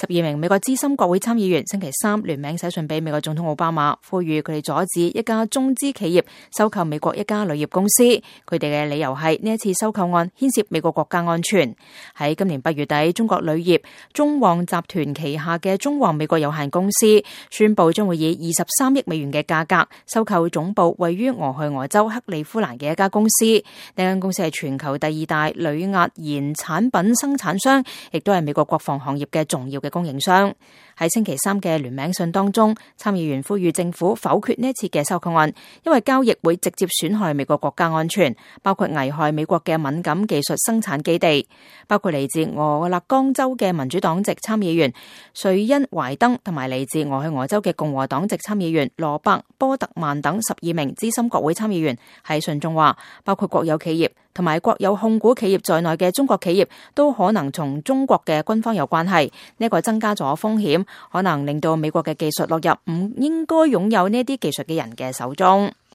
12名美國資深國會參議員星期三聯名寫信俾美國總統奧巴馬，呼籲佢哋阻止一家中資企業收購美國一家鋁業公司。佢哋嘅理由係呢一次收購案牽涉美國國家安全。喺今年8月底，中國鋁業中旺集團旗下嘅中旺美國有限公司宣布將會以23億美元嘅價格收購總部位於俄亥俄州克利夫蘭嘅一家公司。呢間公司係全球第2大鋁壓延產品生產商，亦都係美國國防行業嘅重要嘅供應商。喺星期三嘅聯名信當中，參議員呼籲政府否決呢一次嘅收購案，因為交易會直接損害美國國家安全，包括危害美國嘅敏感技術生產基地。包括嚟自俄勒岡州嘅民主黨籍參議員瑞恩懷登，同埋嚟自俄亥俄州嘅共和黨籍參議員羅伯波特曼等12名資深國會參議員喺信中話，包括國有企業同埋國有控股企業在內嘅中國企業都可能同中國嘅軍方有關係，呢個增加咗風險，可能令到美國嘅技術落入唔應該擁有呢啲技術嘅人嘅手中。